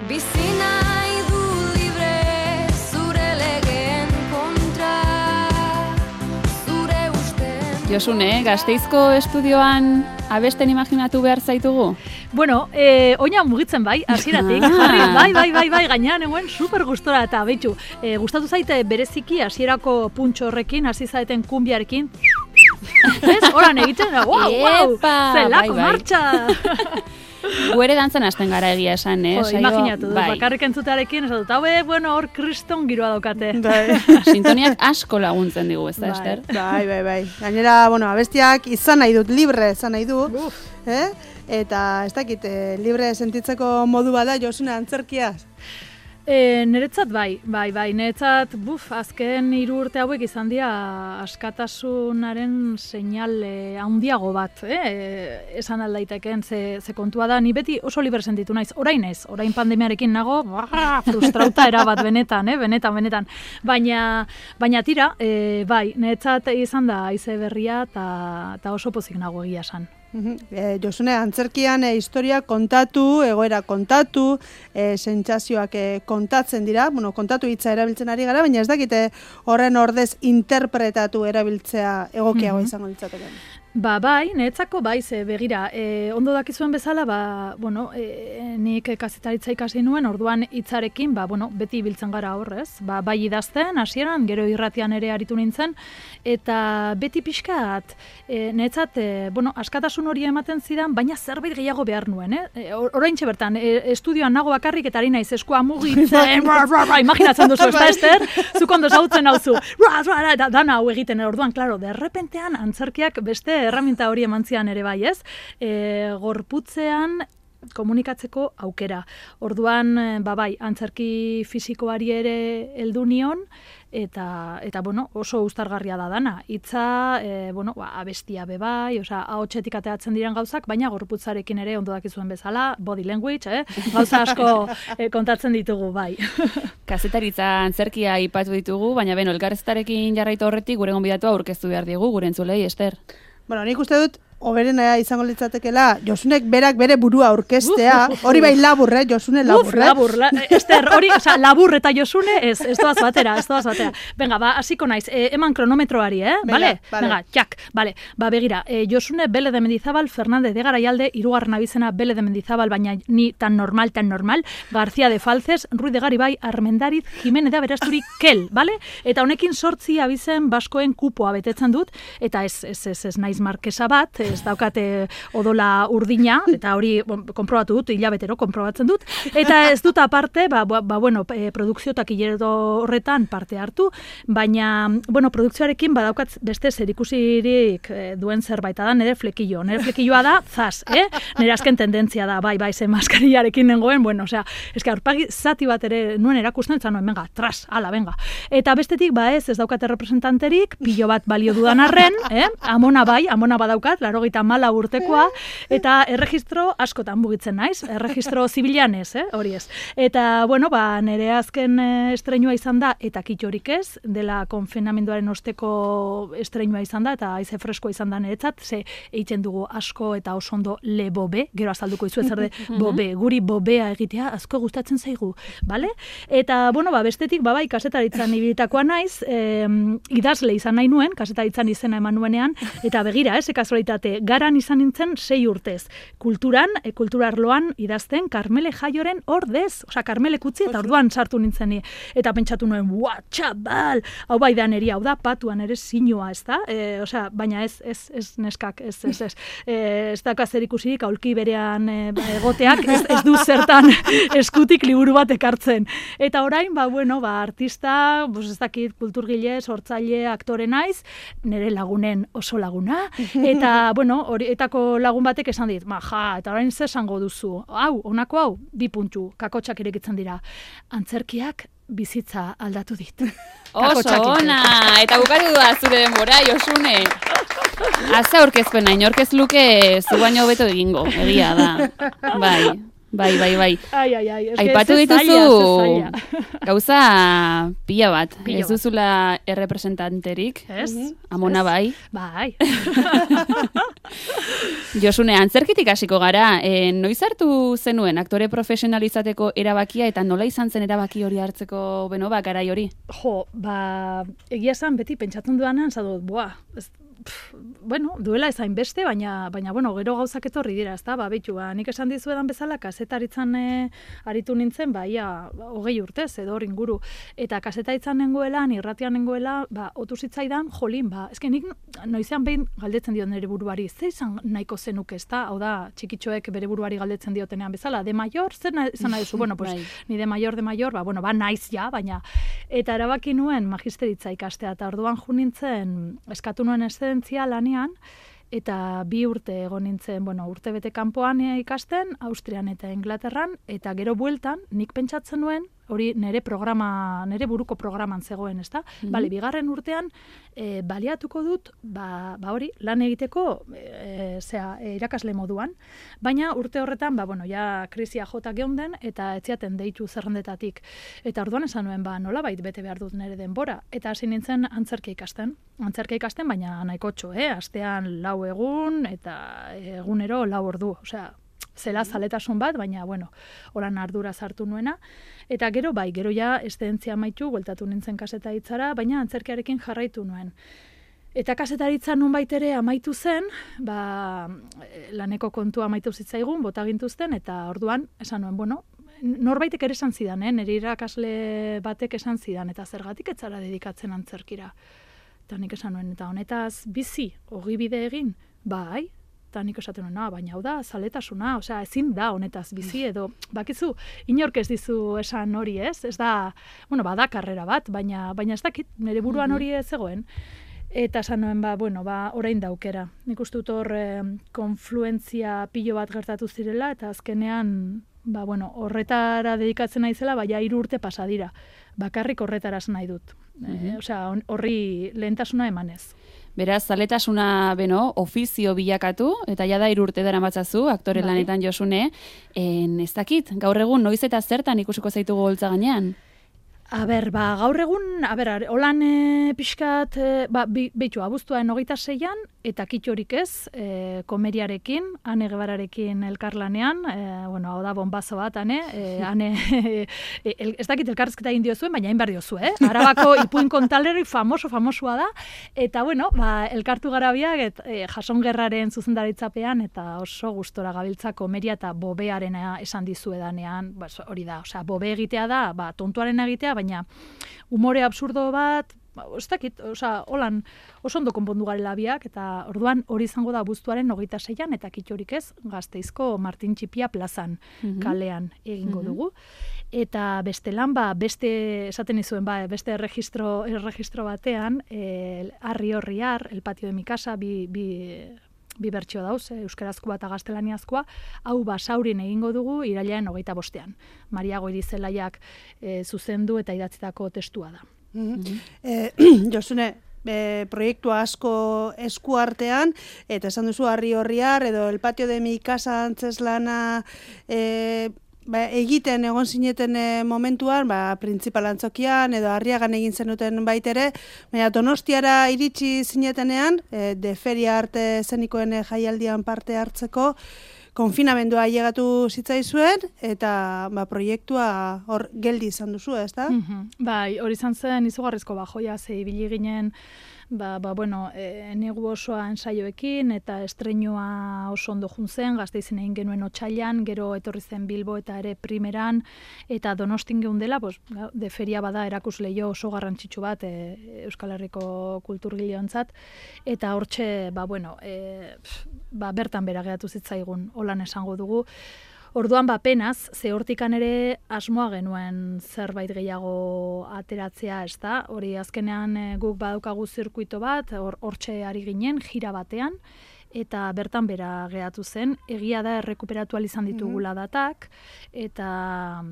Bizi nahi du libre zure legeen kontra, zure usten. Josune, Gasteizko estudioan abesten imaginatu behar zaitugu? Bueno, oina mugitzen bai, hasieratik. Bai, gainean eguen super gustora eta behitu. Gustatu zaite bereziki hasierako puntxo horrekin, hasi zaeten kumbiarekin. Ez, oran egiten, wow, zelako martxa! Gu ere dantzan hasten gara egia esan, Imaginatu, bakarrik entzutearekin, esatu, bueno, hor kriston giroa daukate. Sintoniak asko laguntzen digu, ez da, Ester? Bai. Gainera, abestiak izan nahi dut, libre izan nahi du. Eta ez dakit, libre sentitzeko modu bada Josune antzerkiaz? Niretzat bai, niretzat, azken 3 urte hauek izan dira askatasunaren seinal handiago bat, esan aldaiteken, ze kontua da, ni beti oso libre sentitu naiz, orain pandemiarekin nago, frustrauta erabat benetan, benetan, baina tira, bai, niretzat izan da haize berria eta oso pozik nago egia esan. Josune, antzerkian historia kontatu, egoera kontatu, sentsazioak kontatzen dira, kontatu hitza erabiltzen ari gara, baina ez dakite horren ordez interpretatu erabiltzea egokiago izango litzateke. Bai, niretzako bai, ze begira, ondo dakizuen bezala, nik kazetaritza ikasi nuen, orduan hitzarekin, beti ibiltzen gara horrez, bai idazten, hasieran, gero irratian ere aritu nintzen, eta beti pixkat, niretzat, askatasun hori ematen zidan, baina zerbait gehiago behar nuen, oraintxe bertan, estudioan nago bakarrik, eta ari naiz eskua mugitzen, imaginatzen duzu, ez da, Ester? Zuk ondo zautzen hauzu, dana hau egiten, orduan, klaro, derrepentean antzerkiak beste herramienta hori emantzian ere bai, ez? Gorputzean komunikatzeko aukera. Orduan, bai, antzerki fisikoari ere heldu nion, eta oso uztargarria da dana. Hitza, abestia be bai, ahotsetik ateatzen diren gauzak, baina gorputzarekin ere ondo dakizuen bezala, body language, gauza asko kontatzen ditugu, bai. Kazetaritza antzerkia aipatu ditugu, baina elkarrezketarekin jarraitu horretik gure gonbidatua aurkeztu behar digu, gure entzulei, Ester. Nik uste dut, hoberena izango litzatekela, Josunek berak bere burua aurkeztea, hori bai labur, Josune labur. Labur, Ester, hori, labur eta Josune, ez doaz batera. Venga, hasiko naiz, eman kronometroari, Vale? Venga, jak, vale. Begira, Josune Bele de Mendizabal, Fernández de Garayalde, 3. abizena Bele de Mendizabal, baina ni tan normal, García de Falces, Ruiz de Garibay, Armendariz, Jimenez de Aberasturi, Kel, vale? Eta honekin 8 abizen baskoen kupoa betetzen dut, eta ez naiz markesa bat, ez daukate odola urdina, eta hori konprobatu dut, hilabetero konprobatzen dut, eta ez dut aparte, produkzio takilero horretan parte hartu, baina, produkzioarekin badaukat beste zerikusirik duen zerbait, da nire flekilloa da, zaz, nire azken tendentzia da, bai, ze maskariarekin nengoen, eske aurpagi zati bat ere nuen erakusten, eta noen, venga, tras, ala, venga. Eta bestetik, ez daukate representanterik, pilo bat balio dudan arren, amona badaukat, 84 urtekoa, eta erregistro askotan mugitzen naiz, erregistro zibilean ez, hori ez. Eta, nire azken estreinua izan da, eta kitxorik ez, dela konfinamenduaren osteko estreinua izan da, eta haize freskoa izan da niretzat, ze eitzen dugu asko eta oso ondo le bobe, gero azalduko izu ezerde bobe, guri bobea egitea asko gustatzen zaigu, bale? Eta, bestetik, bai, kasetaritzan ibilitakoa naiz, idazle izan nahi nuen, kasetaritzan izena eman nuenean, eta begira, kasualitate, garan izan nintzen 6 urtez. Kulturarloan idazten Karmele Jaioren ordez, Karmele kutzi eta orduan sartu nintzen ni. Eta pentsatu nuen, txabal, hau bai da neri, hau da patuan ere sinua, ez da? Baina ez neskak, ez da zer ikusirik aulki berean egoteak, ez du zertan eskutik liburu bat ekartzen. Eta orain, artista, ez dakit, kulturgile, sortzaile, aktore naiz, nire lagunen oso laguna, eta, horietako lagun batek esan dit, eta orain ze esango duzu, honako hau, 2 puntu, kakotxak irekitzen dira. Antzerkiak bizitza aldatu dit. Oso ona, eta bukatu da zure denbora, Josune. Aza aurkezpena, inorkez luke zu baino hobeto egingo, egia da. Bai. Bai. Ai. Aipatu dituzu gauza pila bat. Ez duzula errepresentanterik. Ez? Amona bai. Bai. Josune, antzerkitik hasiko gara. Noiz hartu zenuen aktore profesionalizateko erabakia eta nola izan zen erabaki hori hartzeko garai hori? Jo, egia esan beti pentsatzen dudanean, zadut, duela ezain beste, baina gero gauzak etorri dira, ezta? Beitu, nik esan dizuedan bezala, kazetaritzan aritu nintzen, ia 20 urtez, edo hor inguru. Eta kazetaritzan nengoela, irratian nengoela, otu zitzaidan, jolin, eske nik noizean behin galdetzen diot nire buruari, ze izan nahiko zenuk, ezta? Hau da, txikitxoek bere buruari galdetzen diotenean bezala, de mayor, zer izan nahi duzu? Ni de mayor, naiz ja, baina. Eta erabaki nuen magisteritza ikastea, eta orduan jo nintzen, eskatu nuen eszedentzia lanean, eta 2 urte egon nintzen, urte bete kanpoan ikasten, Austrian eta Inglaterran, eta gero bueltan, nik pentsatzen nuen, hori nire buruko programan zegoen, ezta? Bale, 2. urtean, baliatuko dut, hori, lan egiteko, irakasle moduan, baina urte horretan, ja krisia jota geunden, eta etziaten deitu zerrendetatik. Eta orduan esan nuen, nolabait bete behar dut nire denbora, eta hasi nintzen antzerkia ikasten, baina nahiko txo, astean 4 egun, eta egunero 4 ordu, osea, zela zaletasun bat, baina, horan ardura sartu nuena. Eta gero ja eszedentzia amaitu, bueltatu nintzen kazetaritzara, baina antzerkiarekin jarraitu nuen. Eta kazetaritza nonbait ere amaitu zen, laneko kontua amaitu zitzaigun, bota gintuzten, eta orduan, esan nuen, norbaitek ere esan zidan, nire irakasle batek esan zidan, eta zergatik ez zara dedikatzen antzerkira. Eta nik esan nuen, eta honetaz bizi, ogibide egin, bai, eta nik esaten nuen, baina hau da, zaletasuna, osea, ezin da honetaz bizi, edo, bakizu, inork ez dizu esan hori ez da, bada karrera bat, baina ez dakit, nire buruan hori ez zegoen. Eta esan nuen, orain daukera. Nik uste dut hor konfluentzia pilo bat gertatu zirela, eta azkenean, horretara dedikatzen naizela, 3 urte pasa dira. Bakarrik horretaraz nahi dut. Osea, horri lehentasuna emanez. Beraz, zaletasuna ofizio bilakatu, eta jada 3 urte daramatzazu, aktore lanetan Josune, ez dakit, gaur egun noiz eta zertan ikusiko zaitugu holtza gainean? Gaur egun, holan pixkat, beitu, abuztuaren 26an, eta kitxorik ez, komeriarekin, Ane Gebararekin elkarlanean, hau da bonbazo bat, ez dakit elkarrezketa egin diozuen, baina hain behar diozu, Arabako ipuin kontaleri famosua da, eta, elkartu garabiak, jasongerraren zuzendaritzapean, eta oso gustora gabiltza komeria eta bobearena esan dizuedanean, hori da, bobe egitea da, tontuaren egitea, baina umore absurdo bat, ez dakit, holan oso ondo konpondu garela biak, eta orduan hori izango da abuztuaren 26an, eta kitxorik ez, Gasteizko Martin Txipia plazan kalean egingo dugu. Eta bestelan, beste, esaten izuen, beste erregistro batean, Arri Horriar, El Patio de mi casa, bi bertsio dauz, euskarazkoa eta gaztelaniazkoa, hau Basaurin egingo dugu irailaren 25an. Maria Goirizelaiak zuzendu eta idatzitako testua da. Josune, proiektua asko eskuartean, eta esan duzu Arri Horriar, edo El Patio de mi casa antzeslana egiten egon zineten momentuan, printzipal antzokian, edo Arriagan egin zenuten baitere, baina Donostiara iritsi zinetenean, de feria arte zenikoen jaialdian parte hartzeko, konfinamendua ailegatu zitzaizuen, eta proiektua hor geldi izan duzu, ez da? Bai, hori izan zen izugarrizko joia, ze ibili ginen, negu osoa ensaioekin, eta estreinua oso ondo juntzen, Gasteizen egin genuen otsailean, gero etorri zen Bilbo eta ere primeran, eta Donostin geundela, de feria bada erakusleio oso garrantzitsu bat Euskal Herriko kulturgileontzat, eta hortxe, bertan bera geratu zitzaigun, holan esango dugu. Orduan penaz, ze hortikan ere asmoa genuen zerbait gehiago ateratzea, ez da? Hori azkenean guk badaukagu zirkuito bat, hortxe ari ginen, jira batean, eta bertan bera geratu zen, egia da errekuperatu izan ditugula datak, eta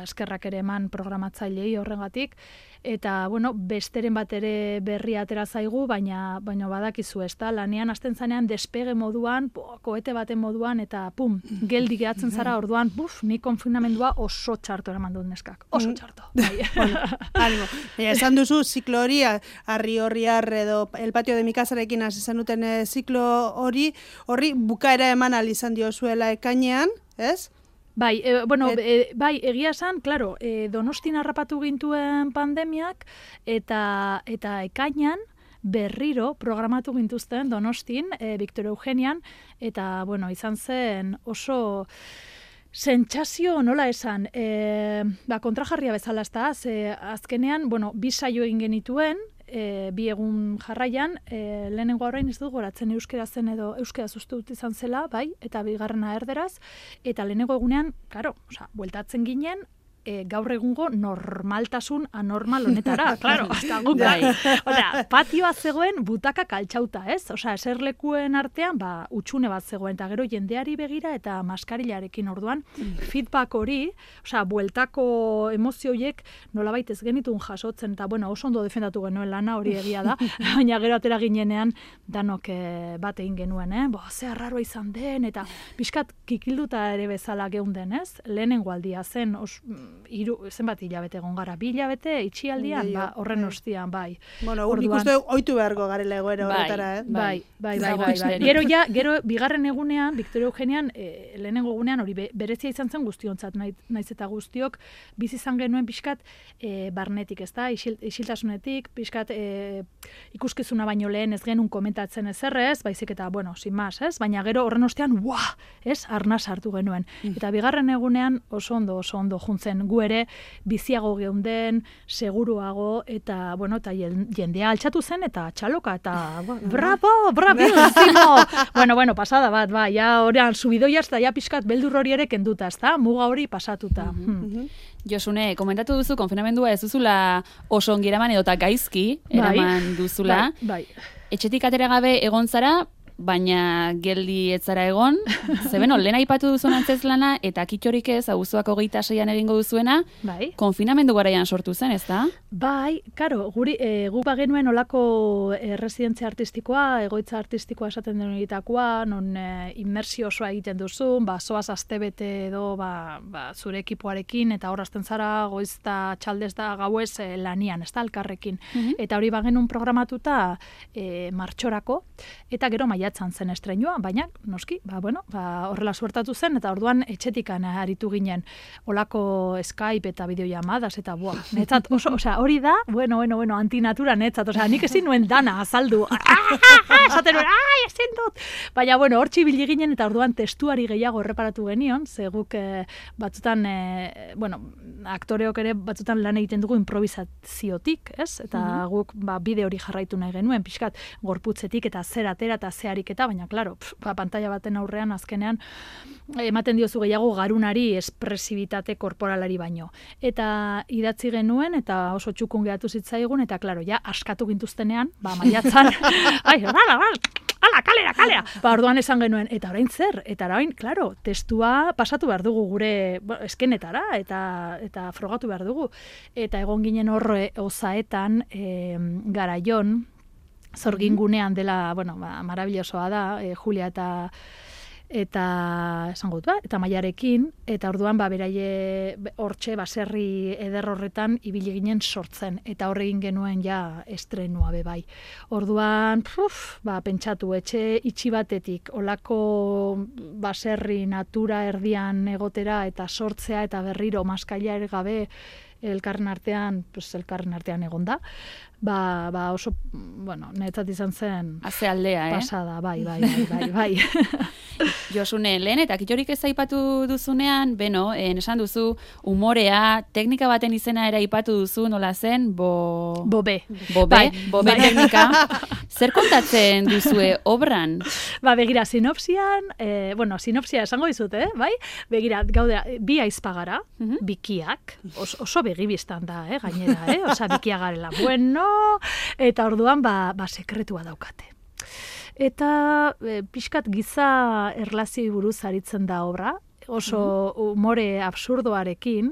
eskerrak ere eman programatzailei horregatik, eta, besteren bat ere berri atera zaigu, baina badakizu, ez da, lanean hasten zanean despege moduan, koete baten moduan, eta geldi gehatzen zara orduan, ni konfinamendua oso txarto eraman dut neskak, oso txarto. Animo. Esan duzu, ziklo hori, Arriorriar edo El Patio de mi Casarekin hasi zenuten ziklo horri bukaera eman al izan diozuela ekainean, ez? Bai, egia esan, claro, Donostin harrapatu gintuen pandemiak, eta ekainan berriro programatu gintuzten Donostin, Victor Eugenian, eta, izan zen oso sentsazio nola esan, kontrajarria bezala ez da, azkenean, bi saio egin genituen, 2 egun jarraian, lehenengo horrein ez dut goratzen euskera zen edo euskera dut izan zela, bai, eta bigarrena erderaz, eta lehenengo egunean, bueltatzen ginen, gaur egungo normaltasun anormal honetara, claro, hasta guk bai. Patioa zegoen butaka kaltxauta, ez? Eserlekuen artean, utxune bat zegoen, eta gero jendeari begira eta maskarilarekin orduan, feedback hori, bueltako emozioiek nolabait ez genitun jasotzen, eta oso ondo defendatu genuen lana hori egia da, baina gero atera ginenean danok bat egin genuen, ze arraroa izan den, eta pixkat kikilduta ere bezala geunden, ez? Lehenengo aldia zen, zenbat hilabete egon gara, 2 hilabete itxialdian, horren ostian, bai. Nik uste oitu beharko garela egoera horretara, Bai. Gero bigarren egunean, Victor Eugenian, lehenengo egunean, hori berezia izan zen guztiontzat, naiz eta guztiok, bizi izan genuen pixkat barnetik, ez da, isiltasunetik, pixkat ikuskizuna baino lehen ez genuen komentatzen ezerrez, baizik eta, sin más, ez? Baina gero horren ostean, ez? Arnaz hartu genuen. Eta bigarren egunean oso ondo juntzen, gu ere biziago geunden, seguruago, eta, eta jendea altxatu zen, eta txaloka, eta bravísimo! Pasada bat, ja horrean subidoiaz, eta ja pixkat beldur hori ere kenduta, ez da? Muga hori pasatuta. Josune, komentatu duzu, konfinamendua ez duzula oso ongi eraman edota gaizki eraman duzula. Bai. Etxetik atera gabe egon zara, baina geldi etzara egon, lehen aipatu duzun antzeslana, eta kitxorik ez, auzoak 26an egingo duzuena, konfinamendu garaian sortu zen, ez da? Bai, karo, guk bagenuen olako residentzia artistikoa, egoitza artistikoa esaten den egitakoa, non inmersio osoa egiten duzun, zoaz astebete edo zure ekipoarekin, eta horazten zara goiz eta txaldez da gauez lanian, ez da, elkarrekin. Eta hori bagenuen programatuta martxorako, eta gero maiatzen zen estreinua, baina, noski, horrela suertatu zen, eta orduan etxetikan aritu ginen olako Skype eta bideollamadas, eta netzat, hori da, antinatura netzat, nik ezin nuen dana azaldu, esaten nuen, ezin dut, baina, hortzi bili ginen, eta orduan testuari gehiago erreparatu genion, ze guk batzutan, aktoreok ere batzutan lan egiten dugu improvisaziotik, ez? Eta guk bide hori jarraitu nahi genuen, pixkat, gorputzetik eta zer atera eta zehariketa, baina, klaro, pantalla baten aurrean azkenean ematen diozu gehiago garunari espresibitate korporalari baino. Eta idatzi genuen, eta oso txukun geratu zitzaigun, eta, klaro, ja, askatu gintuztenean, maiatzan, kalera! Orduan esan genuen, eta orain zer? Eta orain, klaro, testua pasatu behar dugu gure eskenetara, eta frogatu behar dugu. Eta egon ginen horre osaetan Garaion, Zorgingunean dela, marabillosoa da, Julia eta esango dut, eta Maiarekin, eta orduan beraie hortxe baserri eder horretan ibili ginen sortzen, eta horre egin genuen ja estrenua bai. Orduan, pentsatu, etxe itxi batetik, olako baserri natura erdian egotera, eta sortzea, eta berriro maskaila ere gabe, elkarren artean egon da. Oso, netzat izan zen... Haze aldea, pasada, bai. Josune, lehen eta kitxorik ez aipatu duzunean, esan duzu umorea, teknika baten izena ere aipatu duzu, nola zen? Bobe teknika. Zer kontatzen duzue obran? Begira, sinopsian, sinopsia esango dizut, bai? Begira, gaudera, bi aizpagara, bikiak, oso begibistan da, gainera, bikia garela, eta orduan, sekretua daukate. eta pixkat giza erlazioi buruz aritzen da obra, oso umore absurdoarekin,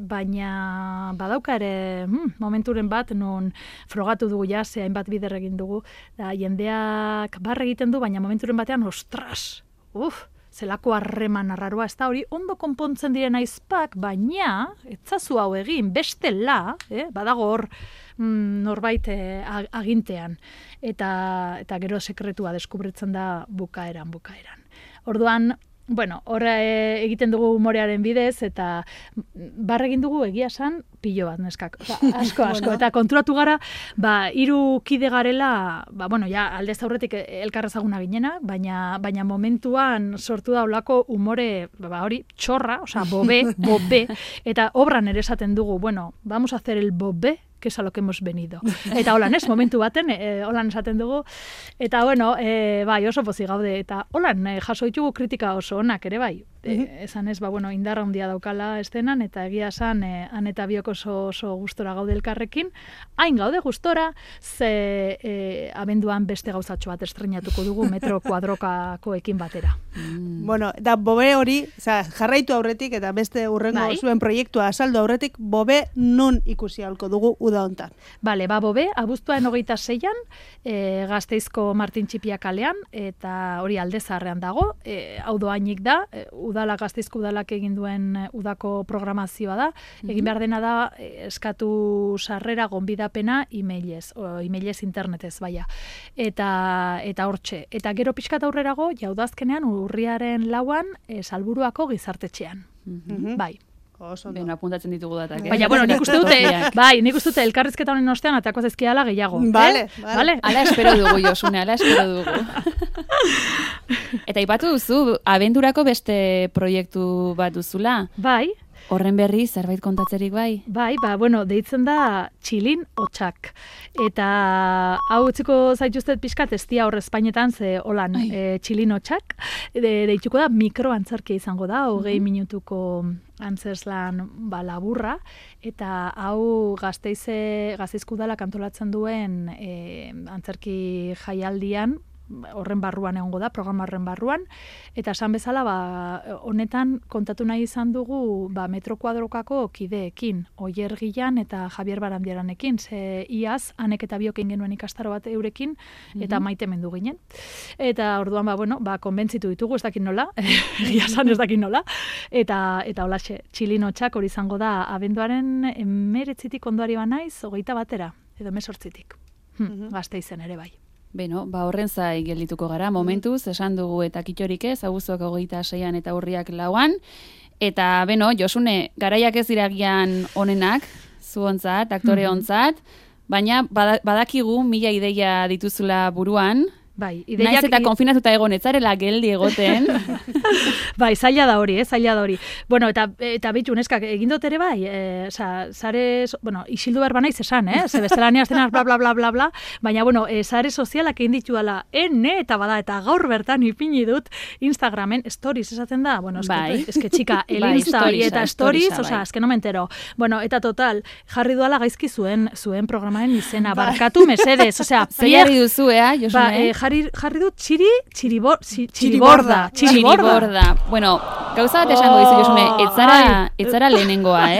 baina badauka ere momenturen bat non frogatu dugu hainbat bider egin dugu, da jendeak barre egiten du, baina momenturen batean, ostras, zelako harreman arraroa, ez da hori ondo konpontzen diren aizpak, baina etzazu hau egin, bestela, badago hor norbait agintean, eta gero sekretua deskubritzen da bukaeran. Orduan, hor egiten dugu humorearen bidez, eta barre egin dugu egia esan pilo bat, neskak. Asko. Eta konturatu gara, 3 kide garela, ja, aldez aurretik elkarrezaguna ginena, baina momentuan sortu da olako humore, hori, txorra, bobe, eta obran ere esaten dugu, vamos a hacer el bobe, que es a lo que hemos venido. Eta holan, momentu baten, holan esaten dugu, eta oso pozik gaude, eta holan, jaso ditugu kritika oso onak ere bai. Esan ez, indarra handia daukala estenan, eta egia esan, han eta biok oso gustora gaude elkarrekin. Hain gaude gustora, ze abenduan beste gauzatxo bat estrenatuko dugu metro kuadrokakoekin batera. Da bobe hori, jarraitu aurretik, eta beste urrengo zuen proiektua azaldu aurretik, bobe nun ikusi ahalko dugu uda hontan. Bobe, abuztuaren 26an, Gasteizko Martin Txipia kalean, eta hori Alde Zaharrean dago, hau doainik da, Gasteizko udalak egin duen udako programazioa da, egin behar dena da eskatu sarrera gonbidapena emailez internetez, eta hortxe. Eta gero pixkat aurrerago, jaudazkenean urriaren 4an Salburuako gizartetxean. Bai. Apuntatzen ditugu datak. Baina, nik uste dute elkarrizketa honen ostean atako zezkiala gehiago. Vale. Ala espero dugu, Josune, ala espero dugu. Eta ipatu duzu, abendurako beste proiektu bat duzula. Bai. Horren berri, zerbait kontatzerik bai? Bai, deitzen da Txilin Hotsak. Eta hau utziko zaituztet pixkat, ez dia hor Espainetan, ze holan Txilin Hotsak. Deituko da mikroantzarkia izango da, 20 minutuko antzeslan laburra, eta hau Gasteizko udalak antolatzen duen antzerki jaialdian, horren barruan egongo da, programa horren barruan, eta esan bezala, honetan kontatu nahi izan dugu metro kuadrokako kideekin, Oier Gilan eta Javier Barandiaranekin, ze iaz, hanek eta biok egin genuen ikastaro bat eurekin, eta maite mendu ginen. Eta orduan, konbentzitu ditugu, ez dakit nola, egiazan ez dakit nola, eta holaxe, Txilin Hotsak hori izango da, abenduaren 19 ondoari banaiz, 21 batera, edo 18 Gasteizen ere bai. Horren zai geldituko gara, momentuz, esan dugu eta kitxorik ez, abuztuak 26an eta urriak 4an, eta, Josune, garaiak ez iragian onenak, zu ontzat, aktore ontzat, baina badakigu 1000 ideia dituzula buruan, naiz eta konfinatuta egon, etzarela geldi egoten. Zaila da hori, zaila da hori. Eta bitu, neskak, egin dut ere bai, sare, isildu behar banaiz esan, ze bestelania aztenar bla, bla, bla, bla, bla, baina, sare sozialak egin ditu dala, eta gaur bertan ipini dut Instagramen, stories esaten da, eske txika, el Insta eta stories, eske no me entero. Eta total, jarri duala gaizki zuen programaren izena, barkatu mesedez, zer jarri duzu, Josune? Jarri dut txiriborda. Bueno, gauza bat esango dizu, Josune, etzara lehenengoa,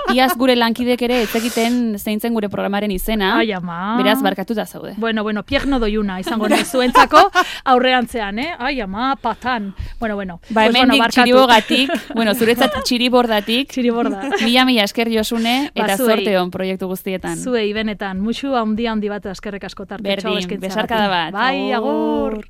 Iaz gure lankidek ere etzekiten zeintzen gure programaren izena. Ai, ama. Beraz, barkatuta zaude. Bueno, pierno doiuna, izango nahi zuentzako aurrerantzean, Ai, ama, patan. Bueno. Hemendik txiribogatik, zuretzat txiribordatik. Txiriborda. Mila esker, Josune, eta zorte hon proiektu guztietan. Zuei, benetan, musu handi bat eskerrek asko tarte. Berdin, besarkada bat. Bai, agur!